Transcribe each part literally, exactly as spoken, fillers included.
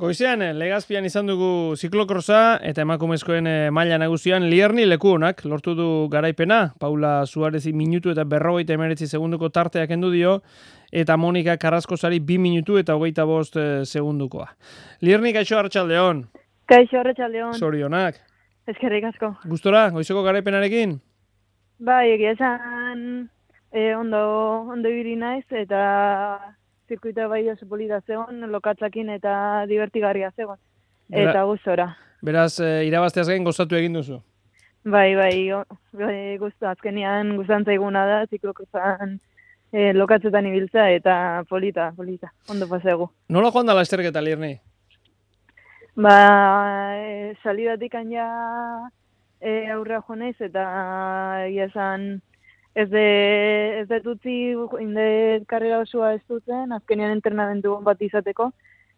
Goizean, Legazpian izan dugu ziklokrosa eta emakumezkoen maila nagusian Lierni leku honak lortu du garaipena. Paula Suarezi minutu eta berrogeita hemeretzi segunduko tarteak kendu dio eta Monika Carrascosari bi minutu eta hogeita bost segundukoa. Lierni, kaixo, arratsaldeon. Kaixo, arratsaldeon. Zorionak. Eskerrik asko. Gustora, goizeko garaipenarekin? Bai, egia esan eh, ondo, ondo ibili naiz eta zirkuitoa bai oso polita zegoen, lokatzakin eta divertigarria zegoen. Bera, eta gustora. Beraz, e, irabazteaz gain gozatu egin duzu? Bai, bai, o, bai gustu, azkenean gustan zaiguna da, ziklokrozan e, lokatzetan ibiltza eta polita, polita, ondo pasegu. Nola joan da lasterketa, Lierni? Ba, e, salidatik ja e, aurra jo naiz eta egia esan ez de ez de tutzi inde karrera osoa ez dutzen, azkenean entrenamendu bat izateko,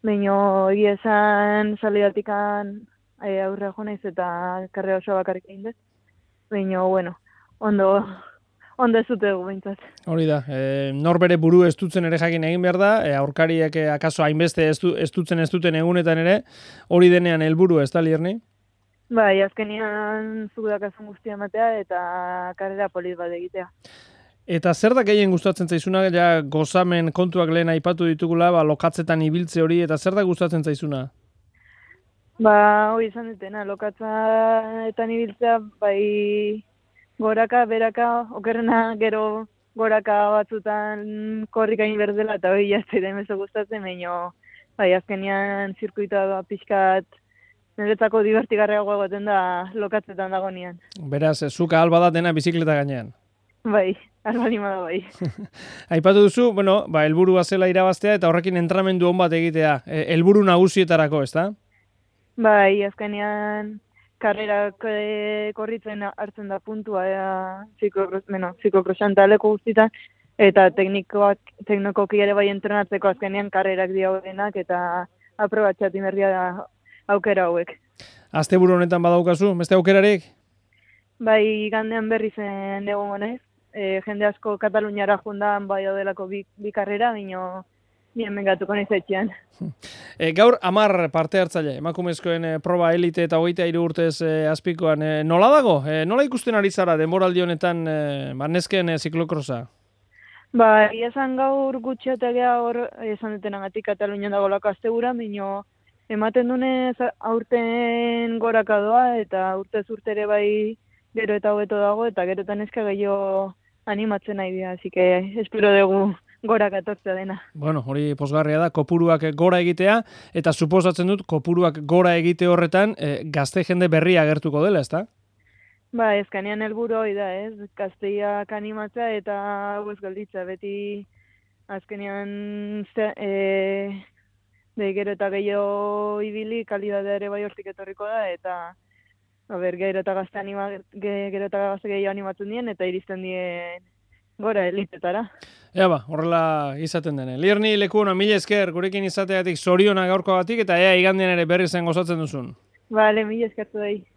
baina egia esan salidatikan e, aurra jo naiz eta karrera osoa bakarrik egin dut. Baina bueno, ondo ondo ez dut egu behintzat. Hori da, e, nor bere buru estutzen ere jakin egin behar da, e, aurkariak e, akaso hainbeste estutzen ez duten egunetan ere, hori denean helburu ez da, Lierni? Bai, azkenean zuk dakazun guztia ematea eta karrera polit bat egitea. Eta zer da gehien gustatzen zaizuna, ja gozamen kontuak lehen aipatu ditugula, ba, lokatzetan ibiltze hori, eta zer da gustatzen zaizuna? Ba, hori izan dutena, lokatzetan ibiltzea, bai goraka, beraka, okerrena gero goraka batzutan korrika egin berdela, eta hori jazte da emezo gustatzen, baina bai, azkenean zirkuitoa pixkat niretzako divertigarriagoa egoten da lokatzetan dagoenean. Beraz, zuka alba da dena bizikleta gainean. Bai, albalima da bai. Aipatu duzu, bueno, ba, helburua zela irabaztea eta horrekin entramendu on bat egitea. E, helburu nagusietarako, ezta? Bai, azkenean karrerak e, korritzen hartzen da puntua ea, ziklokrosan taleko guztietan, eta teknikoak, teknikoki ere bai entrenatzeko azkenean karrerak diaudenak eta aprobatxatu berria da aukera hauek. Asteburu honetan badaukazu, beste aukerarik? Bai, gandean berri zen egongo naiz. E, jende asko Kataluniara jundan bai daudelako bi, bi karrera, baino bien bengatuko naiz etxean. E, gaur hamar parte hartzaile, emakumezkoen e, proba elite eta hogeita hiru urtez e, azpikoan. E, nola dago? E, nola ikusten ari zara denboraldi honetan e, nesken e, ziklokrosa? Ba, esan gaur gutxiategea hor esan dutenagatik Katalunian dagolako astebura, baino ematen dunez aurten goraka doa eta urtez urtere bai gero eta hobeto dago eta gero eta neska gehiago animatzen nahi dira, así que espero dugu goraka etortzea dena. Bueno, hori pozgarria da, kopuruak gora egitea, eta suposatzen dut kopuruak gora egite horretan e, gazte jende berria agertuko dela, ezta? Ba, ezkanean helburu hori da, ez? Gazteiak animatzea eta hau ez gelditza, beti azkenean ze, e, de gero eta gehiago ibili, kalidadea ere bai hortik etorriko da, eta a ber, gero eta gazte anima, gero eta gazte gehiago animatzen dien, eta iristen dien gora elitetara. Ea ba, horrela izaten dene. Lierni leku hona, mila esker, gurekin izateatik zorionak gaurkoagatik, eta ea igandean ere berri zen gozatzen duzun. Bale, mila eskertu dahi.